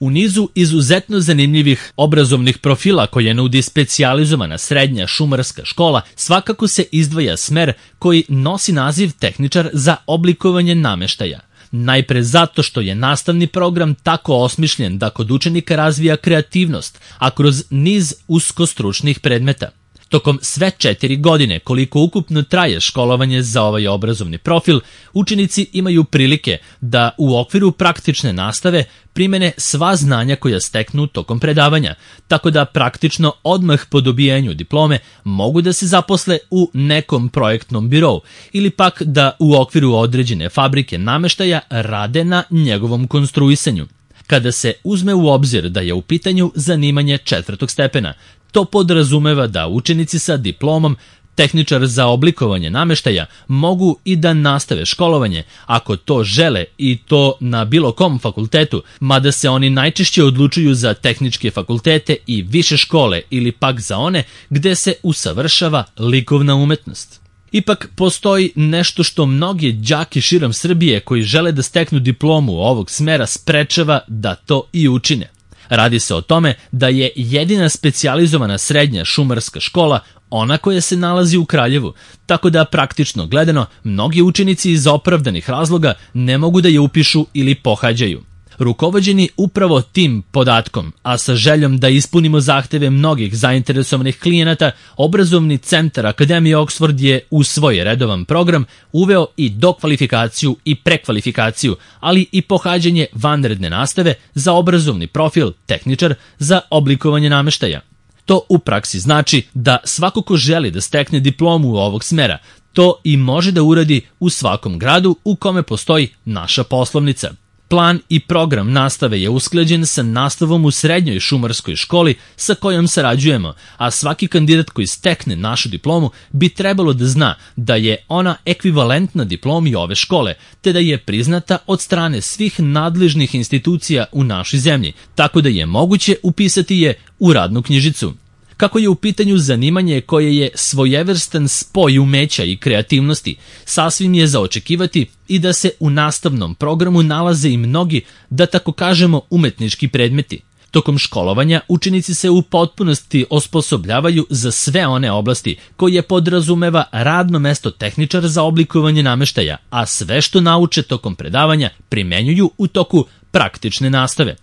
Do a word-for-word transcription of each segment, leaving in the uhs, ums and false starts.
U nizu izuzetno zanimljivih obrazovnih profila koje nudi specijalizovana srednja šumarska škola, svakako se izdvaja smer koji nosi naziv tehničar za oblikovanje nameštaja. Najpre zato što je nastavni program tako osmišljen da kod učenika razvija kreativnost, a kroz niz uskostručnih predmeta. Tokom sve četiri godine koliko ukupno traje školovanje za ovaj obrazovni profil, učenici imaju prilike da u okviru praktične nastave primene sva znanja koja steknu tokom predavanja, tako da praktično odmah po dobijanju diplome mogu da se zaposle u nekom projektnom birou ili pak da u okviru određene fabrike nameštaja rade na njegovom konstruisanju. Kada se uzme u obzir da je u pitanju zanimanje četvrtog stepena, to podrazumeva da učenici sa diplomom tehničar za oblikovanje nameštaja mogu i da nastave školovanje ako to žele i to na bilo kom fakultetu, mada se oni najčešće odlučuju za tehničke fakultete i više škole ili pak za one gde se usavršava likovna umetnost. Ipak postoji nešto što mnogi đaki širom Srbije koji žele da steknu diplomu ovog smera sprečava da to i učine. Radi se o tome da je jedina specijalizovana srednja šumarska škola ona koja se nalazi u Kraljevu, tako da praktično gledano mnogi učenici iz opravdanih razloga ne mogu da je upišu ili pohađaju. Rukovođeni upravo tim podatkom, a sa željom da ispunimo zahteve mnogih zainteresovanih klijenata, obrazovni centar Akademije Oxford je u svoj redovan program uveo i dokvalifikaciju i prekvalifikaciju, ali i pohađanje vanredne nastave za obrazovni profil tehničar za oblikovanje nameštaja. To u praksi znači da svako ko želi da stekne diplomu ovog smera, to i može da uradi u svakom gradu u kome postoji naša poslovnica. Plan i program nastave je usklađen sa nastavom u srednjoj šumarskoj školi sa kojom sarađujemo, a svaki kandidat koji stekne našu diplomu bi trebalo da zna da je ona ekvivalentna diplomi ove škole, te da je priznata od strane svih nadležnih institucija u našoj zemlji, tako da je moguće upisati je u radnu knjižicu. Kako je u pitanju zanimanje koje je svojevrstan spoj umeća i kreativnosti, sasvim je za očekivati i da se u nastavnom programu nalaze i mnogi, da tako kažemo, umetnički predmeti. Tokom školovanja učenici se u potpunosti osposobljavaju za sve one oblasti koje podrazumeva radno mesto tehničar za oblikovanje nameštaja, a sve što nauče tokom predavanja primenjuju u toku praktične nastave.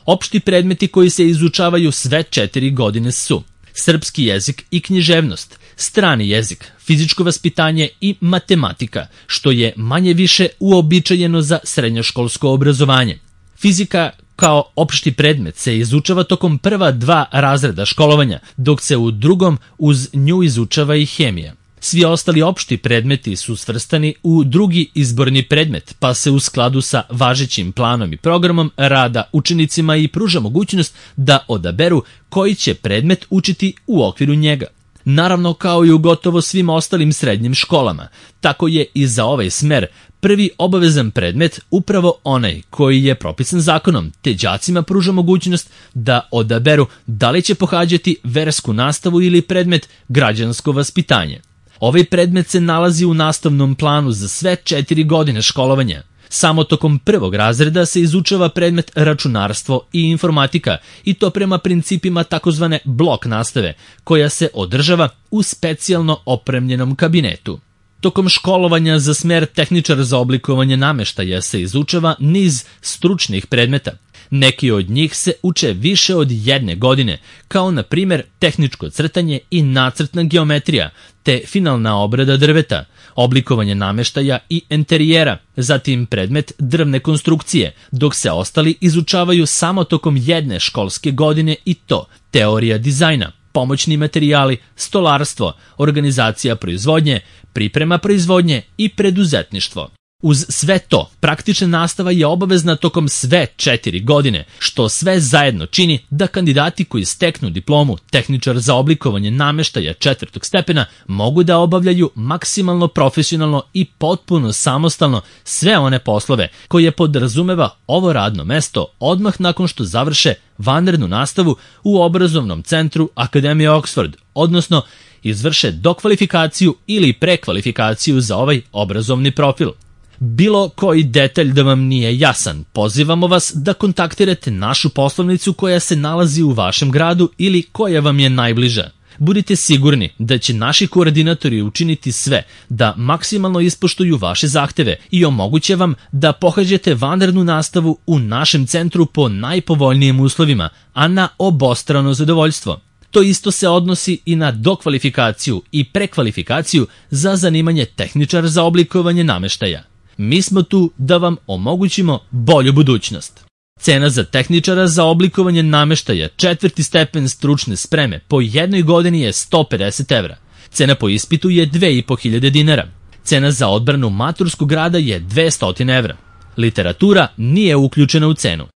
Opšti predmeti koji se izučavaju sve četiri godine su srpski jezik i književnost, strani jezik, fizičko vaspitanje i matematika, što je manje više uobičajeno za srednjoškolsko obrazovanje. Fizika kao opšti predmet se izučava tokom prva dva razreda školovanja, dok se u drugom uz nju izučava i hemija. Svi ostali opšti predmeti su svrstani u drugi izborni predmet, pa se u skladu sa važećim planom i programom rada učenicima i pruža mogućnost da odaberu koji će predmet učiti u okviru njega. Naravno, kao i u gotovo svim ostalim srednjim školama, tako je i za ovaj smer prvi obavezan predmet upravo onaj koji je propisan zakonom, te đacima pruža mogućnost da odaberu da li će pohađati versku nastavu ili predmet građansko vaspitanje. Ovaj predmet se nalazi u nastavnom planu za sve četiri godine školovanja. Samo tokom prvog razreda se izučava predmet računarstvo i informatika, i to prema principima takozvane blok nastave, koja se održava u specijalno opremljenom kabinetu. Tokom školovanja za smer tehničar za oblikovanje nameštaja se izučava niz stručnih predmeta. Neki od njih se uče više od jedne godine, kao na primjer tehničko crtanje i nacrtna geometrija, te finalna obrada drveta, oblikovanje nameštaja i enterijera, zatim predmet drvne konstrukcije, dok se ostali izučavaju samo tokom jedne školske godine, i to teorija dizajna, pomoćni materijali, stolarstvo, organizacija proizvodnje, priprema proizvodnje i preduzetništvo. Uz sve to, praktična nastava je obavezna tokom sve četiri godine, što sve zajedno čini da kandidati koji steknu diplomu tehničar za oblikovanje nameštaja četvrtog stepena mogu da obavljaju maksimalno profesionalno i potpuno samostalno sve one poslove koje podrazumeva ovo radno mesto odmah nakon što završe vanrednu nastavu u obrazovnom centru Akademije Oxford, odnosno izvrše dokvalifikaciju ili prekvalifikaciju za ovaj obrazovni profil. Bilo koji detalj da vam nije jasan, pozivamo vas da kontaktirate našu poslovnicu koja se nalazi u vašem gradu ili koja vam je najbliža. Budite sigurni da će naši koordinatori učiniti sve da maksimalno ispoštuju vaše zahteve i omoguće vam da pohađate vanrednu nastavu u našem centru po najpovoljnijim uslovima, a na obostrano zadovoljstvo. To isto se odnosi i na dokvalifikaciju i prekvalifikaciju za zanimanje tehničar za oblikovanje nameštaja. Mi smo tu da vam omogućimo bolju budućnost. Cena za tehničara za oblikovanje nameštaja četvrti stepen stručne spreme po jednoj godini je sto pedeset evra. Cena po ispitu je dve i po hiljade dinara. Cena za odbranu maturskog rada je dvesta evra. Literatura nije uključena u cenu.